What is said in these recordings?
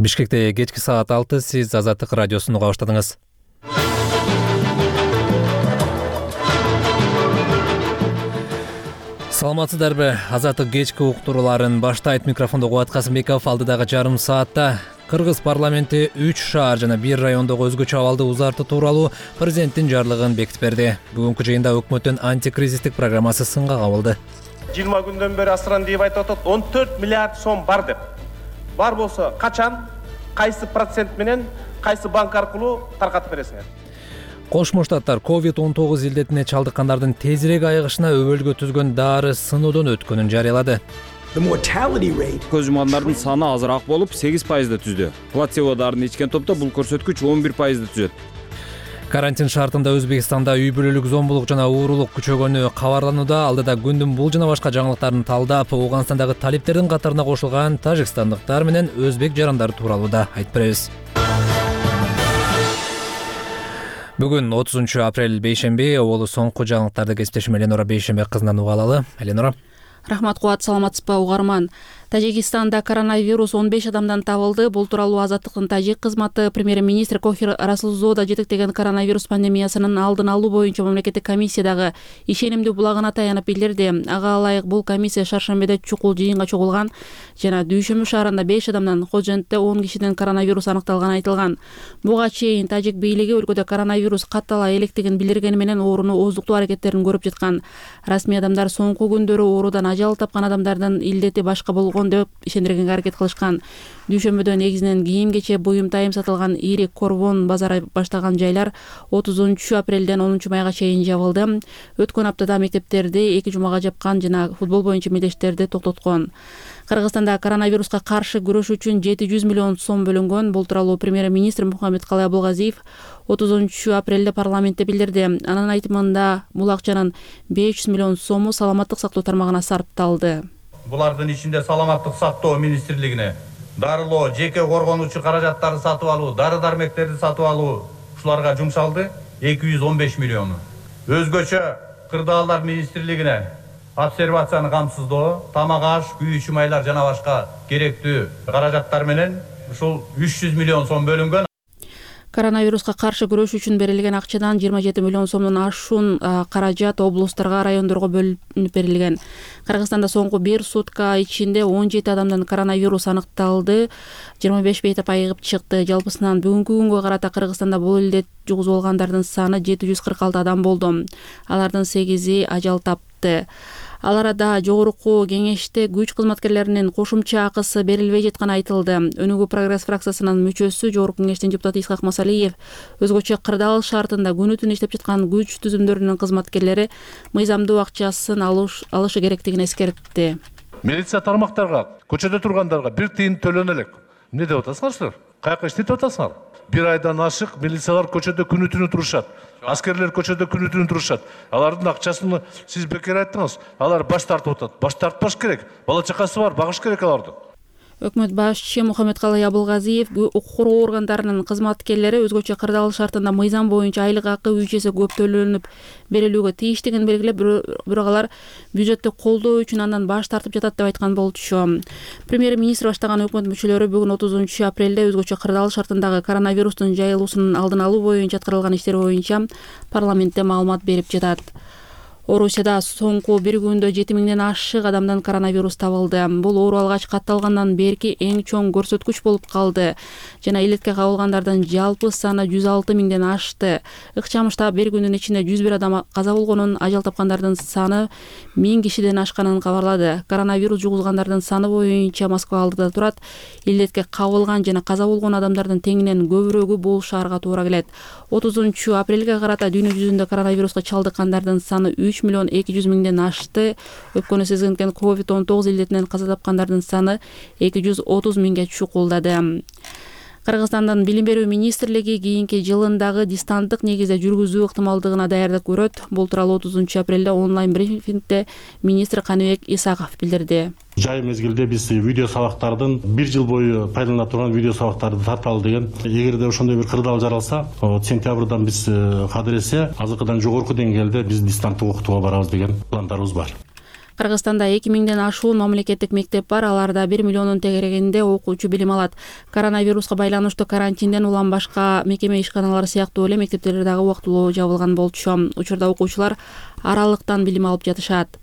Бишкекте кечки саат 6 сиз Азаттык радиосун уга баштадыңыз. Саламатсыздарбы? Азаттык кечки уктурууларын баштайт. Микрофондо Кубат Касымбеков. Алдыдагы жарым саатта Кыргыз парламенти 3 шаар жана 1 райондогу өзгөчө абалды узартуу тууралуу президенттин жарлыгын бекитип берди. Бүгүнкү жыйында өкмөттүн антикризистик программасы сынга кабылды. 20 күндөн бери Асыран деп айтып атат, 14 миллиард сом бар деп. Бар болсо качан, кайсы процент менен, кайсы банк аркылуу таркатып бересиңер? Кошмо Штаттар COVID-19 илдетине чалдыккандардын тезирээк айыгышына өбөлгө түзгөн дары сыноодон өткөнүн жарыялады. Көз жумгандардын саны азыраак болуп 8%да түздү. Плацебо дарын ичкен топто бул көрсөткүч 11%да түзөт. Карантин шартында Өзбекстанда үй бүлөлүк зомбулук жана уурулук күчөгөнү кабарланууда. Алдыда күндүн бул жана башка жаңылыктарын талдап, Ооганстандагы талиптердин катарына кошулган тажикстандыктар менен өзбек жарандары тууралуу да айтып беребиз. Бүгүн 30 апрель бейшемби, оболу соңку жаңылыктарды кесиптешим Эленора Бейшембек кызынан уга алалы. Эленора. Рахмат Кубат, саламатсызбы угарман? Тажикстанда коронавирус 15 адамдан табылды. Бул тууралуу Азаттыктын тажик кызматы премьер-министр Кохир Расулзода жетектеген коронавирус пандемиясынын алдын алуу боюнча мамлекеттик комиссиядагы ишенимдүү булагына таянып билдирди. Ага ылайык бул комиссия шаршембиде чукул жыйынга чогулган жана Дүйшөмбү шаарында 5 адамдан, Хожентте 10 кишиден коронавирус аныкталганы айтылган. Буга чейин тажик бийлиги өлкөдө коронавирус каттала электигин билдиргени менен ооруну ооздуктоо аракеттерин көрүп жаткан. Расмий адамдар соңку күндөрү оорудан ажал тапкан адамдардын илдети башка болгон деп ишендиргенге аракет кылышкан. Дүйшөмбүдө негизинен кийим-кече, буюм тайым сатылган ири корвон базары баштаган жайлар 30 апрелден 10 майга чейин жабылды. Өткөн аптада мектептерди 2 жумага жапкан жана футбол боюнча мелдештерди токтоткон. Кыргызстанда коронавируска каршы күрөш үчүн 700 миллион сом бөлүнгөн. Бул тууралуу премьер-министр Мухаммедкалый Абылгазиев 30 апрелде парламентте билдирди. Анын айтымында бул акчанын 500 миллион сому саламаттык сактоо тармагына сарпталды. Булардын ичинде саламаттык сактоо министрлигине дарылоо, жеке коргонуучу каражаттарды сатып алуу, дары-дармектерди сатып алуу ушуларга жумшалды 215 миллиону. Өзгөчө кырдаалдар министрлигине обсервацияны камсыздоо, тамак аш, күйүүчү майлар жана башка керектүү каражаттар менен ушул 300 миллион сом бөлүнгөн. Коронавируска каршы күрөш үчүн берилген акчадан 27 миллион сомдон ашуун каражат облустарга, райондорго бөлүнүп берилген. Кыргызстанда соңку 1 сутка ичинде 17 адамдан коронавирус аныкталды, 25 бейтап айыгып чыкты. Жалпысынан бүгүнкү күнгө карата Кыргызстанда бул илдет жугузуп алгандардын саны 746 адам болду. Алардын 8-и ажал тапты. Ал арада жогорку кеңеште күч кызматкерлеринин кошумча акысы берилбей жатканы айтылды. Өнүгүү прогресс фракциясынын мүчөсү, жогорку кеңештин депутаты Исхак Масалиев өзгөчө кырдаал шартында күнү-түн иштеп жаткан күч түзүмдөрүнүн кызматкерлери мыйзамдуу акчасын алышы керектигин эскертти. Милиция тармактарга, көчөдө тургандарга 1 тыйын төлөнө элек. Эмне деп атасыңар силер? Каяка иштеп атасыңар? 1 айдан ашык милициялар көчөдө күнү-түнү турушат. Аскерлер көчөдө күнү-түнү турушат. Алардын акчасын сиз бекер айттыңыз. Алар баш тартып атат. Баш тартпаш керек. Бала чакасы бар, багыш керек аларды. Өкмөт башчы Мухаммедкалый Абылгазиев укук коргоо органдарынын кызматкерлери өзгөчө кырдаал шартында мыйзам боюнча айлык акы 3 эсе көп төлөнүп берилүүгө тийиштигин белгилеп, бирок алар бюджеттти колдоо үчүн андан баш тартып жатат деп айткан болчу. Премьер-министр баштаган өкмөт мүчөлөрү бүгүн 30 апрелде өзгөчө кырдаал шартындагы коронавирустун жайылуусунун алдын алуу боюнча аткарылган иштер боюнча парламентте маалымат берип жатат. Орусияда соңку 1 күндө 7000ден ашык адамдан коронавирус табылды. Бул оору алгач катталгандан берки эң чоң көрсөткүч болуп калды жана илетке кабылгандардын жалпы саны 106 миңден ашты. Ыкчамышта 1 күндүн ичинде 101 адам каза болгонун, ажал тапкандардын саны 1000 кишиден ашканын кабарлады. Коронавирус жугузгандардын саны боюнча Москва алдыда турат. Илетке кабылган жана каза болгон адамдардын теңинен көбүрөгү бул шаарга туура келет. 30 апрелге карата дүйнө жүзүндө коронавируска чалдыккандардын саны 3 миллион 200 миңден ашты. Өпкөнү сезгенген COVID-19 илдетинен каза тапкандардын саны 230 миңге чукулдады. Кыргызстандын Билим берүү министрлиги кийинки жылындагы дистанттык негизде жүргүзүү ыктымалдыгына даярдык көрөт. Бул тууралуу 30 апрелде онлайн брифингде министр Каныбек Исаков билдирди. Жай мезгилде биз видео сабактардын 1 жыл бою пайдалана турган видео сабактарды тарталы деген. Эгерде ошондой бир кырдаал жаралса, сентябрдан биз кадыресе азыркыдан жогорку деңгээлде биз дистанттык окутууга барабыз деген пландарыбыз бар. Кыргызстанда 2000ден ашуун мамлекеттик мектеп бар, аларда 1 миллиондун тегерегинде окуучу билим алат. Коронавируска байланыштуу карантинден улам башка мекеме ишканалары сыяктуу эле мектептер дагы убактылуу жабылган болчу. Учурда окуучулар аралыктан билим алып жатышат.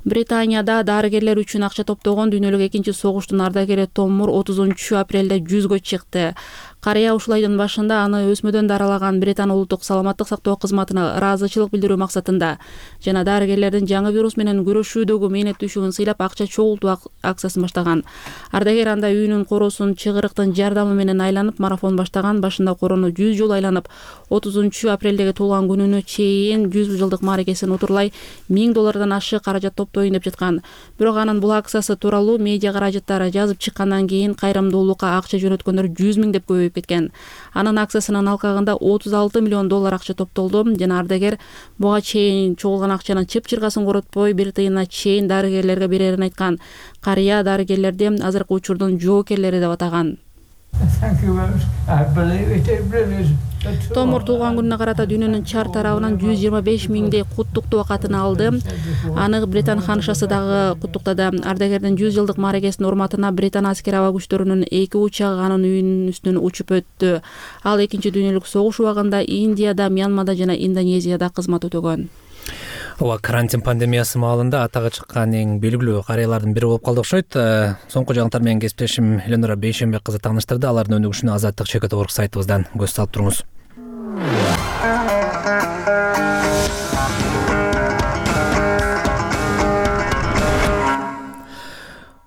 Британияда дарыгерлер үчүн акча топтогон дүйнөлүк экинчи согуштун ардагери Том Мур 30 апрелде 100гө чыкты. Карыя ушул айдын башында аны өсмөдөн даралаган Британ улуттук саламаттык сактоо кызматына ыраазычылык билдирүү максатында жана дарыгерлердин жаңы вирус менен күрөшүүдөгү мээнеттүүлүгүн сыйлап акча чогултуу акциясын баштаган. Ардагер анда үйүнүн короосун чыгырыктын жардамы менен айланып марафон баштаган. Башында короону 100 жолу айланып 30 апрелдеги туулган күнүнө чейин 100 жылдык мааракесин утурлай $1000 ашык каражат топтоюн деп жаткан. Бирок анын бул акциясы тууралуу медиа каражаттары жазып чыккандан кийин кайрымдуулукка акча жөнөткөндөр 100 000 деп көбөйүп кеткен. Анын акциясынын алкагында $36 миллион акча топтолду жана ардагер буга чейин чогулган акчанын чып-чыргасын коротпой 1 тыйына чейин дарыгерлерге берерин айткан. Карыя дарыгерлерди азыркы учурдун жоокерлери деп атаган. Том Мур туулган күнүнө карата дүйнөнүн чар тарабынан 125 000 куттуктоо катын алды. Аны Британ ханышасы дагы куттуктады. Ардагердин 100 жылдык мааракесинин урматына Британ аскер аба күчтөрүнүн 2 учагы анын үйүнүн үстүнөн учуп өттү. Ал экинчи дүйнөлүк согуш убагында Индияда, Мьянмада жана Индонезияда кызмат өтөгөн. Ооба, карантин пандемиясы маалында атага чыккан эң белгилүү карыялардын бири болуп калды окшойт. Соңку жаңылыктар менен кесиптешим Эленора Бейшенбек кызы тааныштырды. Алардын өнүгүшүнө Азаттык Чекет орг сайтыбыздан көз салып туруңуз.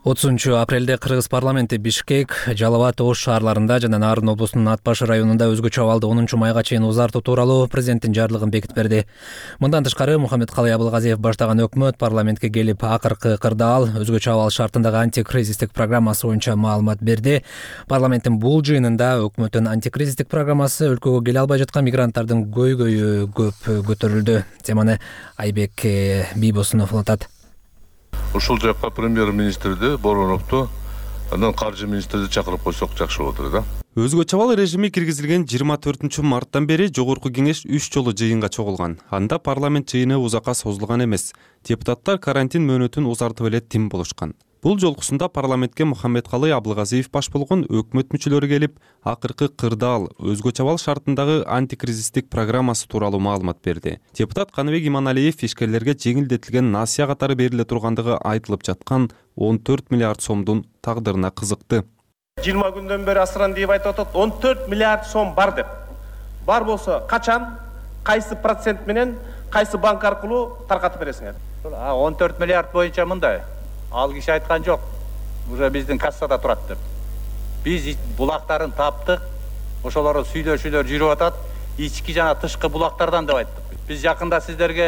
30 апрелде Кыргыз парламенти Бишкек, Жалал Абад, Ош шаарларында жана Нарын облусунун Ат Башы районунда өзгөчө абалды 10 майга чейин узартуу тууралуу президенттин жарлыгын бекитип берди. Мындан тышкары Мухаммедкалый Абылгазиев баштаган өкмөт парламентке келип акыркы кырдаал өзгөчө абал шартындагы антикризистик программасы боюнча маалымат берди. Парламенттин бул жыйынында өкмөттүн антикризистик программасы өлкөгө келе албай жаткан мигранттардын көйгөйү көп көтөрүлдү. Теманы Айбек Бийбосунов улантат. Ушул жакка премьер-министрди, Бороновду, андан каржы министрди чакырып койсок жакшы болот эле да. Өзгөчө абал режими киргизилген 24 марттан бери жогорку кеңеш 3 жолу жыйынга чогулган. Анда парламент жыйыны узакка созулган эмес. Депутаттар карантин мөөнөтүн узартып эле тим болушкан. Бул жолкусунда парламентке Мухаммедкалый Абылгазиев баш болгон өкмөт мүчөлөрү келип, акыркы кырдаал өзгөчө абал шартындагы антикризистик программасы тууралуу маалымат берди. Депутат Каныбек Иманалиев ишкерлерге жеңилдетилген насыя катары бериле тургандыгы айтылып жаткан 14 миллиард сомдун тагдырына кызыкты. 20 күндөн бери Асрандиев айтып атат, 14 миллиард сом бар деп. Бар болсо качан, кайсы процент менен, кайсы банк аркылуу таркатып бересиңер? 14 миллиард боюнча мындай. Ал киши айткан жок. Уже биздин кассада турат деп. Биз булактарын таптык. Ошолорду сүйлөшүүлөр жүрүп атат. Ички жана тышкы булактардан деп айттык. Биз жакында сиздерге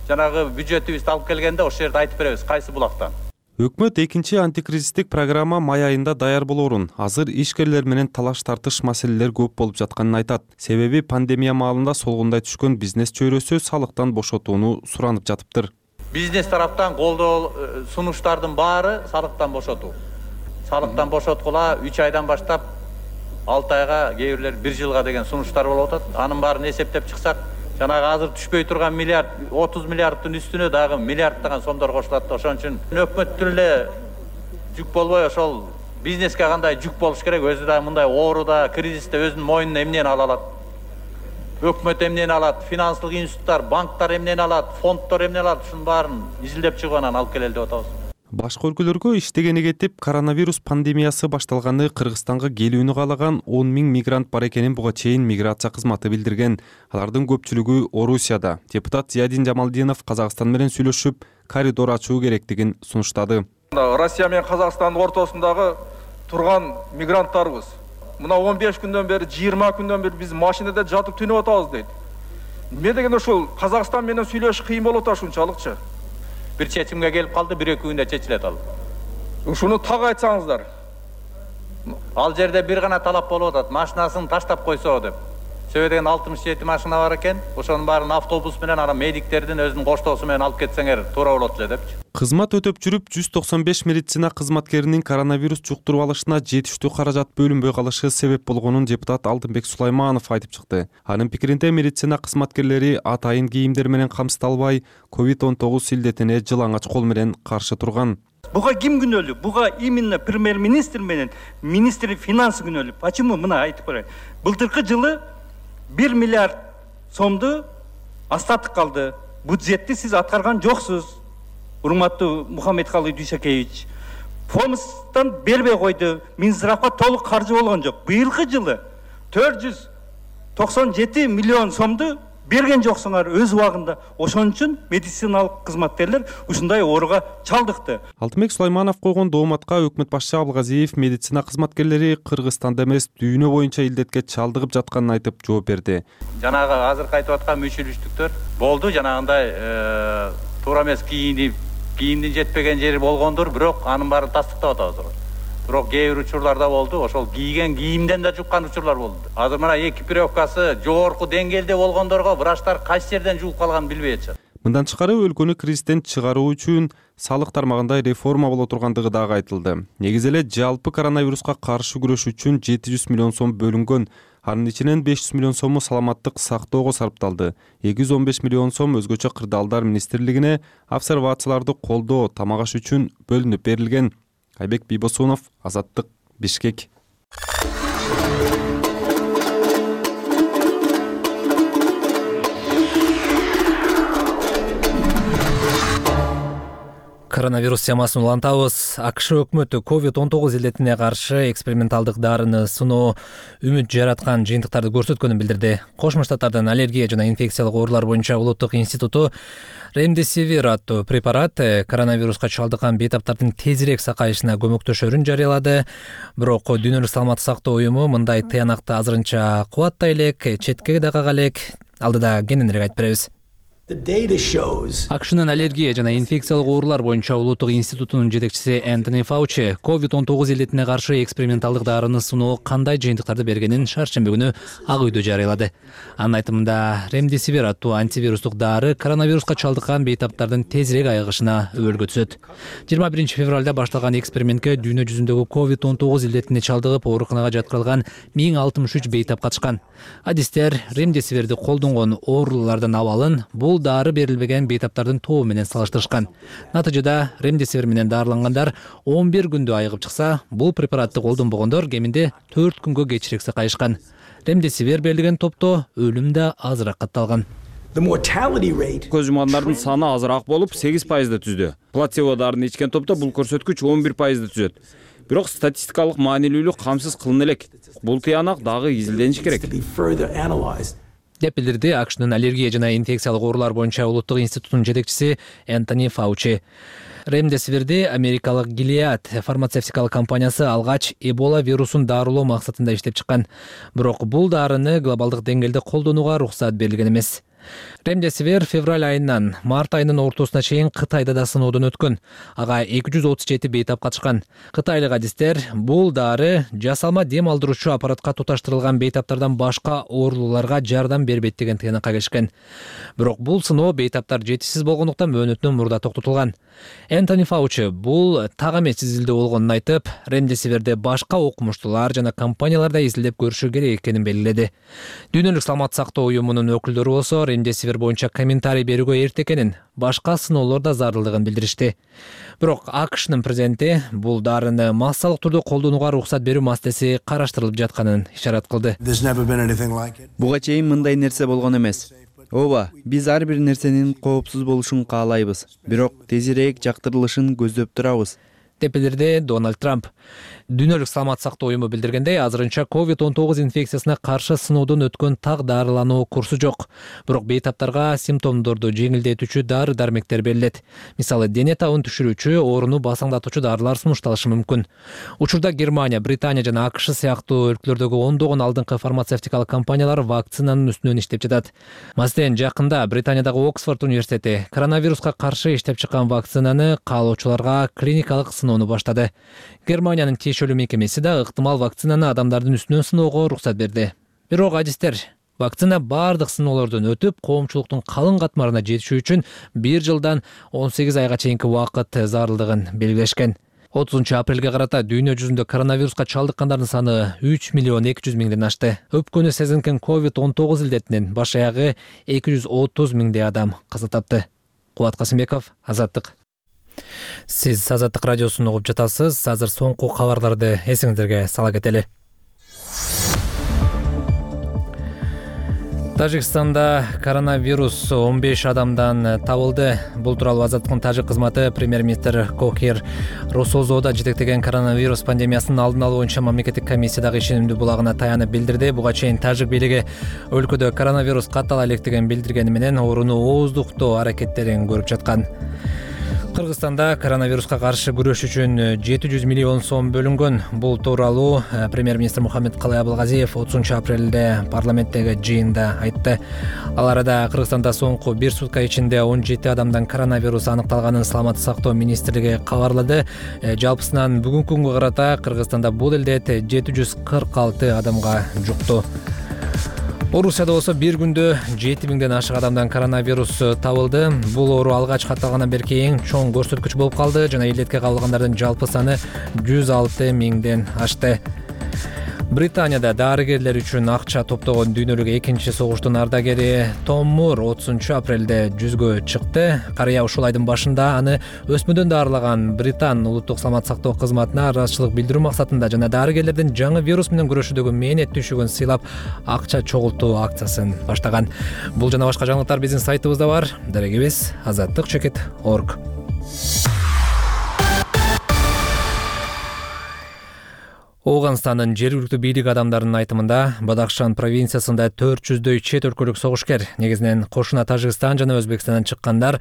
жанагы бюджетибизди алып келгенде ошол жерде айтып беребиз, кайсы булактан. Өкмөт экинчи антикризистик программа май айында даяр болоорун, азыр ишкерлер менен талаш тартыш маселелер көп болуп жатканын айтат. Себеби пандемия маалында солгундай түшкөн бизнес чөйрөсү салыктан бошотууну суранып жатыптыр. Бизнес тараптан колдоо сунуштардын баары салыктан бошотуу. Салыктан бошоткула 3 айдан баштап 6 айга, кээ бирлер 1 жылга деген сунуштар болуп атат. Анын баарын эсептеп чыксак, жанагы азыр түшпөй турган миллиард, 30 миллиардтын үстүнө дагы миллиарддаган сомдор кошулат. Ошон үчүн өкмөттүн эле жүк болбой ошол бизнеске кандай жүк болуш керек. Өзү да мындай ооруда, кризисте өзүнүн мойнуна эмнени ала алат? Өкмөт эмнени алат? Финанстык институттар, банктар эмнени алат? Фонддор эмнени алат? Ушунун баарын изилдеп чыгып анан алып келели деп атабыз. Башка өлкөлөргө иштегени кетип, коронавирус пандемиясы башталганы Кыргызстанга келүүнү каалаган 10 000 мигрант бар экенин буга чейин миграция кызматы билдирген. Алардын көпчүлүгү Орусияда. Депутат Зиядин Жамалдинов Казакстан менен сүйлөшүп, коридор ачуу керектигин сунуштады. Россия менен Казакстандын ортосундагы турган мигранттарыбыз. Мына 15 күндөн бери, 20 күндөн бери биз машинада жатып түнөп атабыз дейт. Эмне дегенде ушул Казакстан менен сүйлөшүш кыйын болуп атат ушунчалыкчы. Бир чечимге келип калды, 1-2 күндө чечилет ал. Ушуну так айтсаңыздар. Ал жерде бир гана талап болуп атат, машинасын таштап койсо деп. Себеби деген 67 машина бар экен. Ошонун баарын автобус менен ана медиктердин өзүнүн коштоосу менен алып кетсеңер туура болот эле депчи. Кызмат өтөп жүрүп 195 медицина кызматкеринин коронавирус жуктуруп алышына жетиштүү каражат бөлүнбөй калышы себеп болгонун депутат Алтынбек Сулайманов айтып чыкты. Анын пикиринде медицина кызматкерлери атайын кийимдер менен камсыздалбай, COVID-19 илдетине жылаңач кол менен каршы турган. Буга ким күнөөлүү? Буга именно премьер-министр менен министр финансы күнөөлүү. Почему? Мына айтып берейин. Былтыркы жылы 1 миллиард сомду остатык калды. Бюджетти сиз аткарган жоксуз. Урматтуу Мухаммедкалый Дүйшөкеевич. Фомстан бербей койду. Минздравга толук каржы болгон жок. Быйылкы жылы 497 миллион сомду берген жоксуңар өз убагында. Ошон үчүн медициналык кызматкерлер ушундай ооруга чалдыкты. Алтынбек Сулайманов койгон дооматка өкмөт башчы Абылгазиев медицина кызматкерлери Кыргызстанда эмес, дүйнө боюнча илдетке чалдыгып жатканын айтып жооп берди. Жанагы азыркы айтып аткан мүчүлүштүктөр болду, жанагындай туура эмес кийимдин жетпеген жери болгондур, бирок анын баарын тастыктап атабыз. Бирок кээ бир учурларда болду, ошол кийген кийимден да жуккан учурлар болду. Азыр мына экипировкасы жогорку деңгээлде болгондорго врачтар кайсы жерден жугуп калганын билбей атышат. Мындан тышкары өлкөнү кризистен чыгаруу үчүн салык тармагында реформа боло тургандыгы дагы айтылды. Негизи эле жалпы коронавируска каршы күрөш үчүн 700 миллион сом бөлүнгөн. Анын ичинен 500 миллион сому саламаттык сактоого сарпталды. 215 миллион сом өзгөчө кырдаалдар министрлигине обсервацияларды колдоо, тамак аш үчүн бөлүнүп берилген. Айбек Бийбосунов, Азаттык, Бишкек. Коронавирус темасын улантабыз. АКШ өкмөтү COVID-19 илдетине каршы эксперименталдык дарыны сыноо үмүт жараткан жыйынтыктарды көрсөткөнүн билдирди. Кошмо Штаттардын аллергия жана инфекциялык оорулар боюнча улуттук институту Ремдесивир аттуу препарат коронавируска чалдыккан бейтаптардын тезирээк сакайышына көмөктөшөрүн жарыялады. Бирок Дүйнөлүк саламаттык сактоо уюму мындай тыянакты азырынча кубаттай элек, четке да кага элек. Алдыда кененирээк айтып беребиз. АКШнын аллергия жана инфекциялык оорулар боюнча улуттук институтунун жетекчиси Энтони Фаучи COVID-19 илдетине каршы эксперименталдык дарыны сыноо кандай жыйынтыктарды бергенин шаршемби күнү Ак үйдө жарыялады. Анын айтымында Ремдесивир аттуу антивирустук дары коронавируска чалдыккан бейтаптардын тезирээк айыгышына өбөлгө түзөт. 21 февралда башталган экспериментке дүйнө жүзүндөгү COVID-19 илдетине чалдыгып ооруканага жаткырылган 1063 бейтап катышкан. Адистер Ремдесивирди колдонгон оорулардын абалын бул дары берилбеген бейтаптардын тобу менен салыштырышкан. Натыйжада Ремдесивир менен дарылангандар 11 күндө айыгып чыкса, бул препаратты колдонбогондор кеминде 4 күнгө кечирээк сакайышкан. Ремдесивир берилген топто өлүм да азыраак катталган. Көз жумгандардын саны азыраак болуп 8% түздү. Плацебо дарын ичкен топто бул көрсөткүч 11% түзөт. Бирок статистикалык маанилүүлүк камсыз кылына элек. Бул тыянак дагы изилдениши керек. деп билдирди АКШнын аллергия жана инфекциялык оорулар боюнча улуттук институтунун жетекчиси Энтони Фаучи. Ремдесивирди америкалык Gilead фармацевтикалык компаниясы алгач Эбола вирусун дарылоо максатында иштеп чыккан. Бирок бул дарыны глобалдык деңгээлде колдонууга уруксат берилген эмес. Ремдесивир февраль айынан март айынын ортосуна чейин Кытайда да сыноодон өткөн. Ага 237 бейтап катышкан. Кытайлык адистер бул дары жасалма дем алдыруучу аппаратка туташтырылган бейтаптардан башка оорулууларга жардам бербейт деген тыянакка келишкен. Бирок бул сыноо бейтаптар жетишсиз болгондуктан мөөнөтүнөн мурда токтотулган. Энтони Фаучи бул так эмес изилдөө болгонун айтып, Ремдесивирди башка окумуштуулар жана компанияларда изилдеп көрүшү керек экенин белгиледи. Дүйнөлүк саламаттык сактоо уюмунун өкүлдөрү болсо Ремдесивир боюнча комментарий берүүгө эрте экенин, башка сыноолор да зарылдыгын билдиришти. Бирок АКШнын президенти бул дарыны массалык түрдө колдонууга уруксат берүү маселеси караштырылып жатканын ишарат кылды. Буга чейин мындай нерсе болгон эмес. Ооба, биз ар бир нерсенин коопсуз болушун каалайбыз, бирок тезирээк жактырылышын көздөп турабыз, деп билдирди Дональд Трамп. Дүйнөлүк саламаттык сактоо уюму билдиргендей, азырынча COVID-19 инфекциясына каршы сыноодон өткөн так дарылануу курсу жок. Бирок бейтаптарга симптомдорду жеңилдетүүчү дары-дармектер берилет. Мисалы, дене табын түшүрүүчү, ооруну басаңдатуучу дарылар сунушталышы мүмкүн. Учурда Германия, Британия жана АКШ сыяктуу өлкөлөрдөгү ондогон алдыңкы фармацевтикалык компаниялар вакцинанын үстүнөн иштеп жатат. Маселен, жакында Британиядагы Оксфорд университети коронавируска каршы иштеп чыккан вакцинаны каалоочуларга клиникалык сыноону баштады. Германиянын тиешелүү мекемеси да ыктымал вакцинаны адамдардын үстүнөн сыноого уруксат берди. Бирок адистер Вакцина бардык сыноолордон өтүп, коомчулуктун калың катмарына жетиши үчүн 1 жылдан 18 айга чейинки убакыт зарылдыгын белгилешкен. 30 апрелге карата дүйнө жүзүндө коронавируска чалдыккандардын саны 3 миллион 200 миңден ашты. Өпкөнү сезинкен COVID-19 илдетинен баш аягы 230 миңдей адам каза тапты. Кубат Касымбеков, Азаттык. Сиз Азаттык радиосун угуп жатасыз. Азыр соңку кабарларды эсиңиздерге сала кетели. Тажикстанда коронавирус 15 адамдан табылды. Бул тууралуу Азаттыктын тажик кызматы премьер-министр Кохир Росозода жетектеген коронавирус пандемиясынын алдын алуу боюнча мамлекеттик комиссиядагы ишенимдүү булагына таянып билдирди. Буга чейин тажик бийлиги өлкөдө коронавирус каттала электигин билдиргени менен ооруну ооздуктоо аракеттерин көрүп жаткан. Кыргызстанда коронавируска каршы күрөш үчүн 700 миллион сом бөлүнгөн. Бул тууралуу премьер-министр Мухаммедкалый Абылгазиев 30 апрелде парламенттеги жыйында айтты. Ал арада Кыргызстанда соңку 1 сутка ичинде 17 адамдан коронавирус аныкталганын Саламаттык сактоо министрлиги кабарлады. Жалпысынан бүгүнкү күнгө карата Кыргызстанда бул илдет 746 адамга жукту. Орусияда болсо бир күндө 7000ден ашык адамдан коронавирус табылды. Бул оору алгач катталгандан берки эң чоң көрсөткүч болуп калды жана илдетке кабылгандардын жалпы саны 106 миңден ашты. Британияда дарыгерлер үчүн акча топтогон дүйнөлүк экинчи согуштун ардагери Том Мур 30 апрелде жүзгө чыкты. Карыя ушул айдын башында аны өсмөдөн даарылаган Британ улуттук саламаттык сактоо кызматына ыраазычылык билдирүү максатында жана дарыгерлердин жаңы вирус менен күрөшүүдөгү мээнет түйшүгүн сыйлап акча чогултуу акциясын баштаган. Бул жана башка жаңылыктар биздин сайтыбызда бар. Дарегибиз azattik.org. Оганстандын жергиликтүү бийлик адамдарынын айтымында Бадахшан провинциясында 400дөй чет өлкөлүк согушкер, негизинен кошуна Тажикстан жана Өзбекстандан чыккандар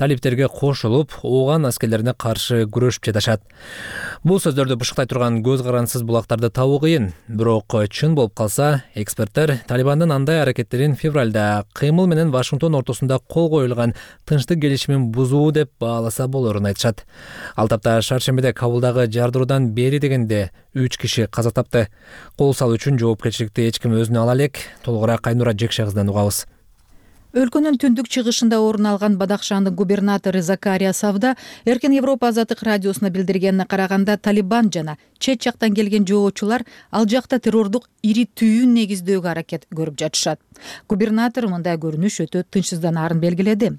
талиптерге кошулуп, Ооган аскерлерине каршы күрөшүп жатышат. Бул сөздөрдү бышыктай турган көз карансыз булактарды табуу кыйын, бирок чын болуп калса, эксперттер Талибандын андай аракеттерин февралда кыймыл менен Вашингтон ортосунда кол коюлган тынчтык келишимин бузуу деп бааласа болорун айтышат. Ал тапта шаршембиде Кабулдагы жардыруудан бери дегенде 3 киши каза тапты. Кол салуу үчүн жоопкерчиликти эч ким өзүнө ала элек. Толугураак Айнура Жекше кызынан угабыз. Өлкөнүн түндүк чыгышында орун алган Бадахшандын губернатору Закария Савда Эркин Европа Азаттык радиосуна билдиргенине караганда Талибан жана чет жактан келген жоочулар ал жакта террордук ири түйүн негиздөөгө аракет көрүп жатышат. Губернатор мындай көрүнүш өтө тынчсызданаарын белгиледи.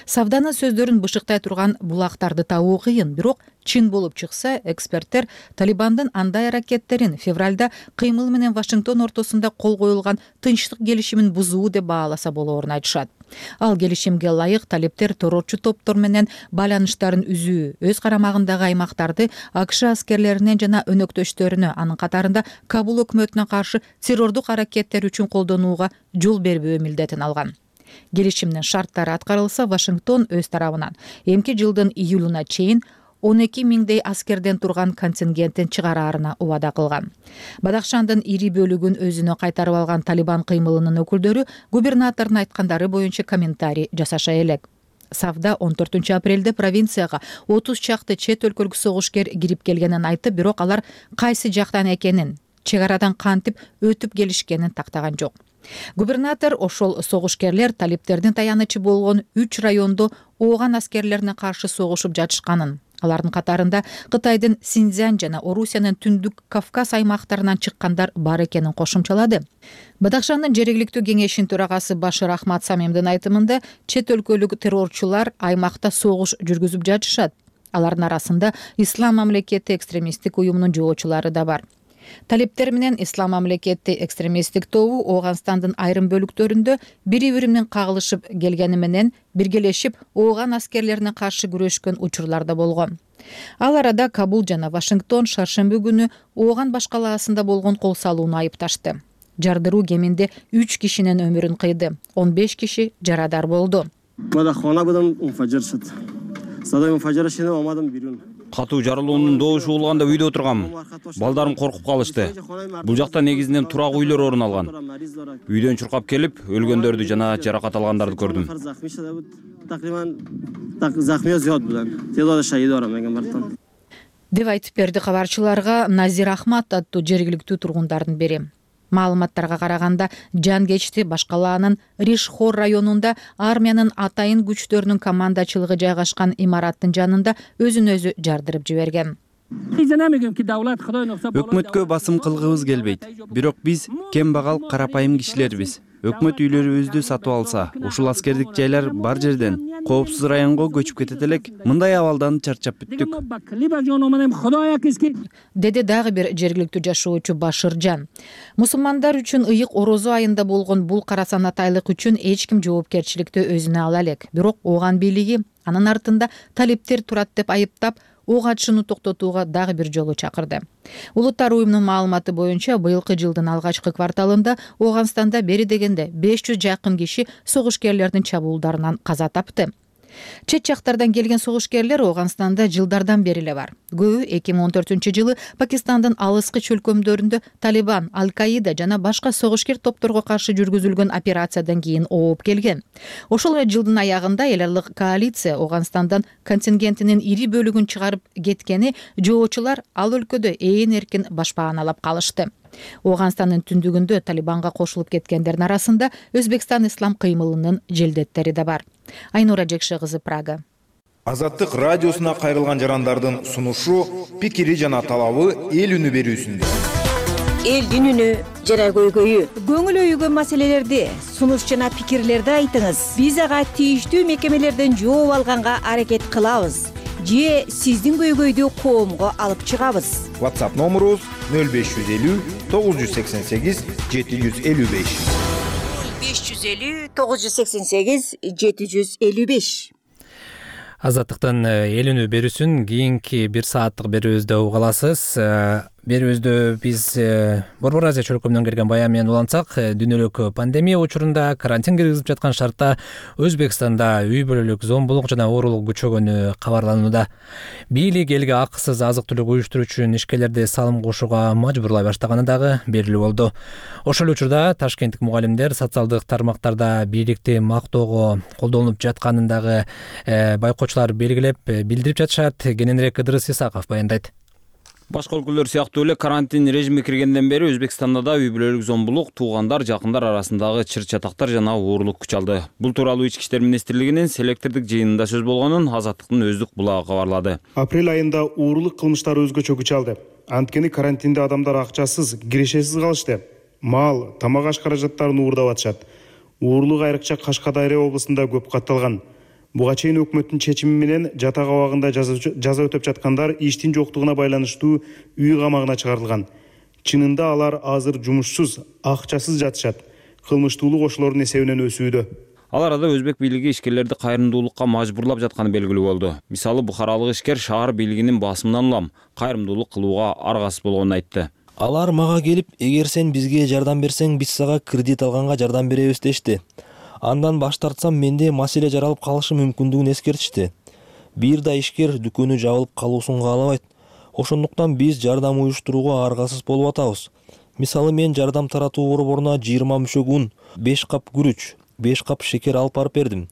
Савданын сөздөрүн бышыктай турган булактарды табуу кыйын, бирок чын болуп чыкса, эксперттер Талибандын андай аракеттерин февралда кыймыл менен Вашингтон ортосунда кол коюлган тынчтык келишимин бузуу деп бааласа болоорун айтышат. Ал келишимге ылайык талиптер террорчу топтор менен байланыштарын үзүү, өз карамагындагы аймактарды АКШ аскерлеринен жана өнөктөштөрүнө, анын катарында Кабул өкмөтүнө каршы террордук аракеттер үчүн колдонууга жол бербөө милдетин алган. Келишимдин шарттары аткарылса, Вашингтон өз тарабынан эмки жылдын июлуна чейин 12 миңдей аскерден турган контингенттин чыгараарына убада кылган. Бадахшандын ири бөлүгүн өзүнө кайтарып алган Талибан кыймылынын өкүлдөрү губернатордун айткандары боюнча комментарий жасаша элек. Савда 14 апрелде провинцияга 30 чакты чет өлкөлүк согушкер кирип келгенин айтып, бирок алар кайсы жактан экенин, чек арадан кантип өтүп келишкенин тактаган жок. Губернатор ошол согушкерлер талиптердин таянычы болгон 3 райондо Ооган аскерлерине каршы согушуп жатышканын, алардын катарында Кытайдын Синьцзянь жана Орусиянын Түндүк Кавказ аймактарынан чыккандар бар экенин кошумчалады. Бадахшандын жергиликтүү кеңешинин төрагасы Башир Ахмад Самимдин айтымында чет өлкөлүк террорчулар аймакта согуш жүргүзүп жатышат. Алардын арасында Ислам мамлекети экстремисттик уюмунун жоочулары да бар. Талиптер менен Ислам мамлекети экстремисттик тобу Оганстандын айрым бөлүктөрүндө бири-бири менен кагылышып келгени менен биргелешип Ооган аскерлерине каршы күрөшкөн учурлар да болгон. Ал арада Кабул жана Вашингтон шаршемби күнү Ооган баш калаасында болгон кол салууну айыпташты. Жардыруу кеминде 3 кишинин өмүрүн кыйды, 15 киши жарадар болду. Катуу жарылуунун добушу болгондо үйдө отургам. Балдарым коркуп калышты. Бул жакта негизинен турак үйлөр орун алган. Үйдөн чуркап келип, өлгөндөрдү жана жаракат алгандарды көрдүм. Деп айтып берди кабарчыларга Назир Ахмат аттуу жергиликтүү тургундардын бири. Маалыматтарга караганда жан кечти башкалаанын Ришхор районунда армиянын атайын күчтөрүнүн командачылыгы жайгашкан имараттын жанында өзүн өзү жардырып жиберген. Өкмөткө басым кылгыбыз келбейт. Бирок биз кембагал карапайым кишилербиз. Өкмөт үйлөрүбүздү сатып алса, ушул аскердик жайлар бар жерден коопсуз районго көчүп кетет элек. Мындай абалдан чарчап бүттүк. Деди дагы бир жергиликтүү жашоочу Башыржан. Мусулмандар үчүн ыйык орозо айында болгон бул кара санатайлык үчүн эч ким жоопкерчиликти өзүнө ала элек. Бирок Ооган бийлиги анын артында талиптер турат деп айыптап, ок атышууну токтотууга дагы бир жолу чакырды. Улуттар уюмунун маалыматы боюнча быйылкы жылдын алгачкы кварталында Ооганстанда бери дегенде 500 жакын киши согушкерлердин чабуулдарынан каза тапты. Чет жактардан келген согушкерлер Ооганстанда жылдардан бери эле бар. Көбү 2014-жылы Пакистандын алыскы чөлкөмдөрүндө Талибан, Аль-Каида жана башка согушкер топторго каршы жүргүзүлгөн операциядан кийин ооп келген. Ошол эле жылдын аягында эл аралык коалиция Ооганстандан контингентинин ири бөлүгүн чыгарып кеткени жоочулар ал өлкөдө ээн эркин башпааналап калышты. Ооганстандын түндүгүндө Талибанга кошулуп кеткендердин арасында Өзбекстан ислам кыймылынын желдеттери да бар. Айнура Жекше кызы, Прага. Азаттык радиосуна кайрылган жарандардын сунушу, пикири жана талабы эл үнү берүүсүндө. Элдин үнү жана көйгөйү. Көңүл өйгөн маселелерди, сунуш жана пикирлерди айтыңыз. Биз ага тийиштүү мекемелерден жооп алганга аракет кылабыз. Же сиздин көйгөйдү коомго алып чыгабыз. WhatsApp номерубуз 0550 988 755. 550 988 755. Азаттыктын эл үнү берүүсүн кийинки 1 сааттык берүүбүздө уга аласыз. Берүүбүздө биз Борбор Азия чөлкөмүнөн келген баян менен улантсак, дүйнөлүк пандемия учурунда карантин киргизип жаткан шартта Өзбекстанда үй бүлөлүк зомбулук жана оорулук күчөгөнү кабарланууда. Бийлик элге акысыз азык-түлүк уюштуруу үчүн ишкерлерди салым кошууга мажбурлай баштаганы дагы белгилүү болду. Ошол учурда ташкенттик мугалимдер социалдык тармактарда бийликти мактоого колдонуп жатканын дагы байкоочулар белгилеп билдирип жатышат. Кененирээк Ыдырыс Исаков баяндайт. Башка өлкөлөр сыяктуу эле карантин режими киргенден бери Өзбекстанда да үй бүлөлүк зомбулук, туугандар, жакындар арасындагы чыр-чатактар жана оорулук күч алды. Бул тууралуу Ички иштер министрлигинин селектордук жыйынында сөз болгонун Азаттыктын өздүк булагы кабарлады. Апрель айында оорулук кылмыштары өзгөчө күч алды. Анткени карантинде адамдар акчасыз, кирешесиз калышты. Мал, тамак аш каражаттарын уурдап атышат. Оорулук айрыкча Кашкадария облусунда көп катталган. Буга чейин өкмөттүн чечими менен жатак абагында жаза өтөп жаткандар иштин жоктугуна байланыштуу үй камагына чыгарылган. Чынында алар азыр жумушсуз, акчасыз жатышат. Кылмыштуулук ошолордун эсебинен өсүүдө. Ал арада өзбек бийлиги ишкерлерди кайрымдуулукка мажбурлап жатканы белгилүү болду. Мисалы, бухаралык ишкер шаар бийлигинин басымынан улам кайрымдуулук кылууга аргасыз болгонун айтты. Алар мага келип, эгер сен бизге жардам берсең, биз сага кредит алганга жардам беребиз дешти. Андан баш тартсам, менде маселе жаралып калышы мүмкүндүгүн эскертишти. Бир да ишкер дүкөнү жабылып калуусун каалабайт. Ошондуктан биз жардам уюштурууга аргасыз болуп атабыз. Мисалы, мен жардам таратуу борборуна 20 мүшөк ун, 5 кап күрүч, 5 кап шекер алып барып бердим.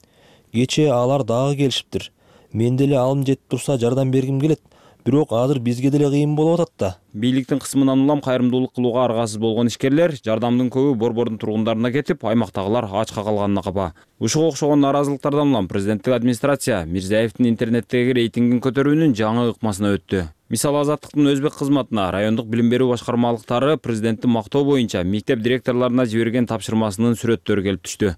Кечээ алар дагы келишиптир. Мен деле алым жетип турса жардам бергим келет. Бирок азыр бизге деле кыйын болуп атат да. Бийликтин кысымынан улам кайрымдуулук кылууга аргасыз болгон ишкерлер жардамдын көбү борбордун тургундарына кетип, аймактагылар ачка калганына капа. Ушуга окшогон нааразылыктардан улам президенттик администрация Мирзиевдин интернеттеги рейтингин көтөрүүнүн жаңы ыкмасына өттү. Мисалы, Азаттыктын өзбек кызматына райондук билим берүү башкармалыктары президенттин мактоо боюнча мектеп директорлоруна жиберген тапшырмасынын сүрөттөрү келип түштү.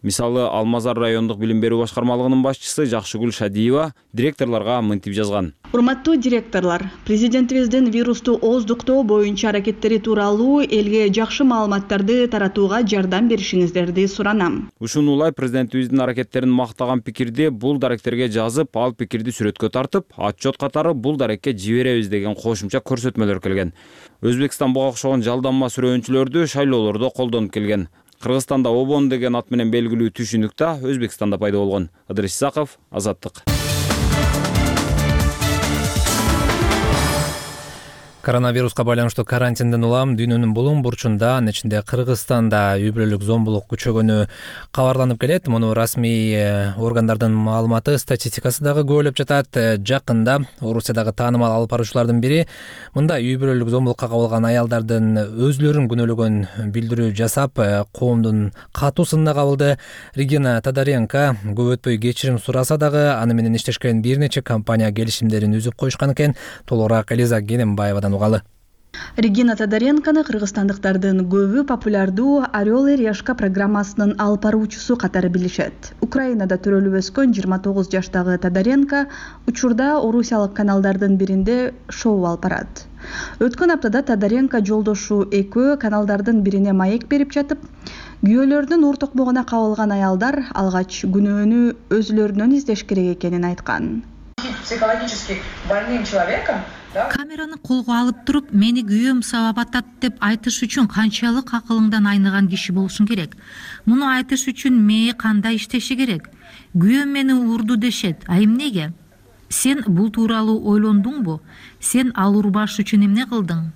Мисалы, Алмазар райондук билим берүү башкармалыгынын башчысы Жакшыгүл Шадиева директорлорго мынтип жазган. Урматтуу директорлор, президентибиздин вирусту ооздуктоо боюнча аракеттери тууралуу элге жакшы маалыматтарды таратууга жардам беришиңиздерди суранам. Ушуну улай президентибиздин аракеттерин мактаган пикирди бул даректерге жазып, ал пикирди сүрөткө тартып, отчет катары бул дарекке жиберебиз деген кошумча көрсөтмөлөр келген. Өзбекстан буга окшогон жалданма сүрөөнчүлөрдү шайлоолордо колдонуп келген. Кыргызстанда ОБОН деген ат менен белгилүү түшүнүк да Өзбекстанда пайда болгон. Ыдырыс Исаков, Азаттык. Коронавируска байланыштуу карантинден улам дүйнөнүн булуң бурчунда, анын ичинде Кыргызстанда үй бүлөлүк зомбулук күчөгөнү кабарланып келет. Муну расмий органдардын маалыматы, статистикасы дагы күбөлөп жатат. Жакында Орусиядагы таанымал алып баруучулардын бири мындай үй бүлөлүк зомбулукка кабылган аялдардын өзүлөрүн күнөөлөгөн билдирүү жасап, коомдун катуу сынына кабылды. Регина Тодоренко көп өтпөй кечирим сураса дагы, аны менен иштешкен бир нече компания келишимдерин үзүп коюшкан экен. Толугураак Элиза Генембаевадан угалы. Регина Тодоренкону кыргызстандыктардын көбү популярдуу Орел и Решка программасынын алып баруучусу катары билишет. Украинада төрөлүп өскөн 29 жаштагы Тодоренко учурда орусиялык каналдардын биринде шоу алып барат. Өткөн аптада Тодоренко жолдошу экөө каналдардын бирине маек берип жатып, күйөөлөрүнүн ур токмогуна кабылган аялдар алгач күнөөнү өзүлөрүнөн издеш керек экенин айткан. Психологически больным человеком камераны колго алып туруп, мени күйөөм сабап атат деп айтыш үчүн канчалык акылыңдан айныган киши болушуң керек. Муну айтыш үчүн мээ кандай иштеши керек? Күйөөм мени урду дешет. А эмнеге? Сен бул тууралуу ойлондуңбу? Сен ал урбаш үчүн эмне кылдың?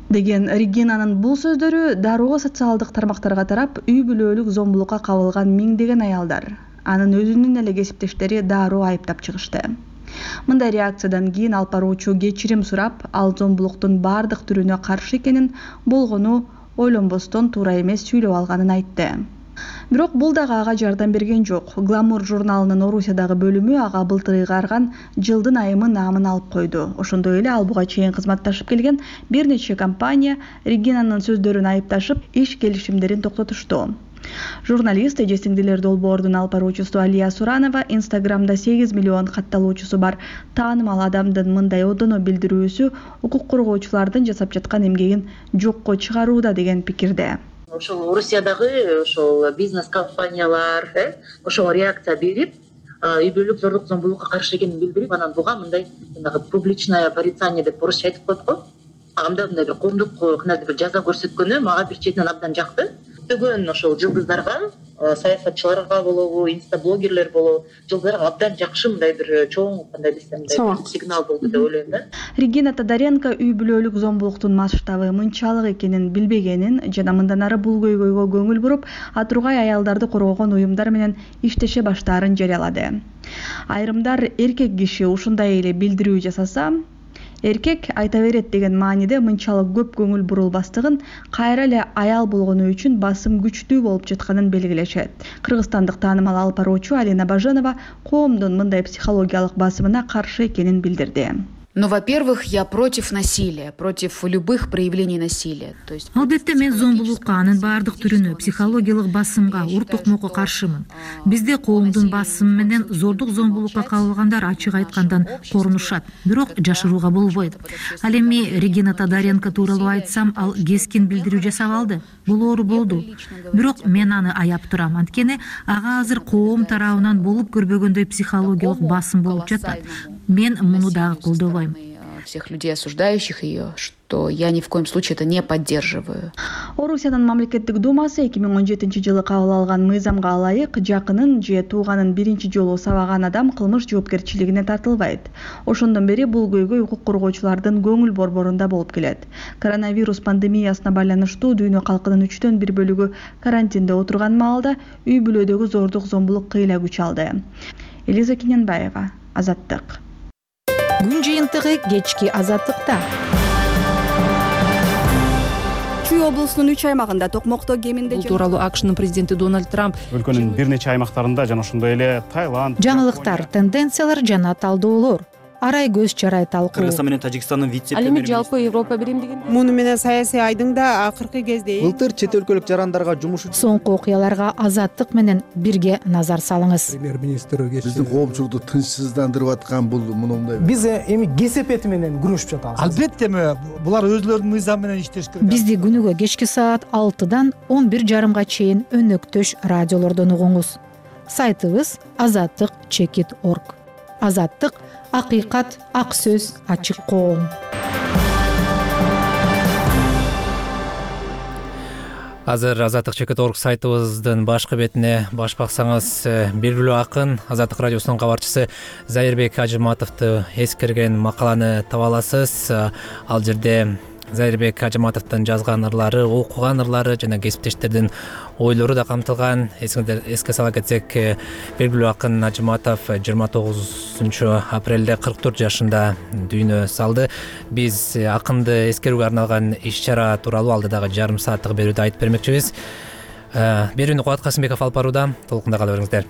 Деген Регинанын бул сөздөрү дароо социалдык тармактарга тарап, үй бүлөлүк зомбулукка кабылган миңдеген аялдар, анын өзүнүн эле кесиптештери дароо айыптап чыгышты. Мындай реакциядан кийин алып баруучу кечирим сурап, ал зомбулуктун бардык түрүнө каршы экенин, болгону ойлонбостон туура эмес сүйлөп алганын айтты. Бирок бул дагы ага жардам берген жок. Гламур журналынын Орусиядагы бөлүмү ага былтыр ыйгарган жылдын айымы наамын алып койду. Ошондой эле ал буга чейин кызматташып келген бир нече компания Регинанын сөздөрүн айыпташып, иш келишимдерин токтотушту. Журналист эже-сиңдилер долбоордун алып баруучусу Алия Суранова Инстаграмда 8 миллион катталуучусу бар таанымал адамдын мындай одоно билдирүүсү укук коргоочулардын жасап жаткан эмгегин жокко чыгарууда деген пикирде. Ошол Орусиядагы ошол бизнес компаниялар ошого реакция берип, үй бүлөлүк зордук зомбулукка каршы экенин билдирип, анан буга мындай публичное порицание деп орусча айтып коет го. Анда мындай бир коомдук кандайдыр бир жаза көрсөткөнү мага бир четинен абдан жакты. Бүгүн ошол жылдыздарга, саясатчыларга болобу, инстаблогерлер болобу, жылдыздарга абдан жакшы мындай бир чоң кандай десем сигнал болду деп ойлойм да. Регина Тодоренко үй бүлөлүк зомбулуктун масштабы мынчалык экенин билбегенин жана мындан ары бул көйгөйгө көңүл буруп, атургай аялдарды коргогон уюмдар менен иштеше баштаарын жарыялады. Айрымдар эркек киши ушундай эле билдирүү жасаса, эркек айта берет деген мааниде мынчалык көп көңүл бурулбастыгын, кайра эле аял болгону үчүн басым күчтүү болуп жатканын белгилешет. Кыргызстандык таанымал алып баруучу Алина Баженова коомдун мындай психологиялык басымына каршы экенин билдирди. Но, во-первых, я против насилия, против любых проявлений насилия. Албетте мен зомбулукка, анын баардык түрүнө, психологиялык басымга, ур токмокко каршымын. Бизде коомдун басымы менен зордук зомбулукка кабылгандар ачык айткандан корунушат, бирок жашырууга болбойт. Ал эми Регина Тодоренко тууралуу айтсам, ал кескин билдирүү жасап алды. Бул оору болду. Бирок мен аны аяп турам, анткени ага азыр коом тарабынан болуп көрбөгөндөй психологиялык басым болуп жатат. Мен муну дагы колдобойм. Всех людей, осуждающих ее, что я ни в коем случае это не поддерживаю. Орусиянын мамлекеттик думасы 2017-жылы кабыл алган мыйзамга ылайык жакынын же тууганын биринчи жолу сабаган адам кылмыш жоопкерчилигине тартылбайт. Ошондон бери бул көйгөй укук коргоочулардын көңүл борборунда болуп келет. Коронавирус пандемиясына байланыштуу дүйнө калкынын 3/4 бөлүгү карантинде отурган маалда үй бүлөдөгү зордук зомбулук кыйла күч алды. Элиза Генембаева, Азаттык. Күн жыйынтыгы кечки Азаттыкта. Чүй облусунун 3 аймагында токмокто кеминде бул тууралуу АКШнын президенти Дональд Трамп өлкөнүн бир нече аймактарында жана ошондой эле Таиланд, жаңылыктар, тенденциялар жана талдоолор, арай көз чарай талкуу. Кыргызстан менен Тажикстандын вице-премьери. Ал эми жалпы Европа биримдигин муну менен саясий айдың да акыркы кезде Былтыр чет өлкөлүк жарандарга жумуш үчүн соңку окуяларга Азаттык менен бирге назар салыңыз. Премьер-министр биздин коомчулукту тынчсыздандырып аткан бул мындай. Биз эми кесепети менен күрөшүп жатабыз. Албетте булар өзлөрүнүн мыйзамы менен иштеш керек. Бизди күнүгө кечки саат 6-дан 11:30 чейин өнөктөш радиолордон угуңуз. Сайтыбыз azattik.org. Азаттык — акыйкат, ак сөз, ачык коом. Азыр Азаттык чекит орг сайтыбыздын башкы бетине баш баксаңыз, белгилүү акын Азаттык радиосунун кабарчысы Зайырбек Ажыматовду эскерген макаланы таба аласыз. Ал жерде Зайырбек Ажыматовдун жазган ырлары, окуган ырлары жана кесиптештердин ойлору да камтылган. Эске сала кетсек, белгилүү акын Ажыматов 29 апрелде 44 жашында дүйнө салды. Биз акынды эскерүүгө арналган иш-чара тууралуу алдыдагы жарым сааттык берүүдө айтып бермекчибиз. Берүүнү Кубат Касымбеков алып барууда. Толкунда кала бериңиздер.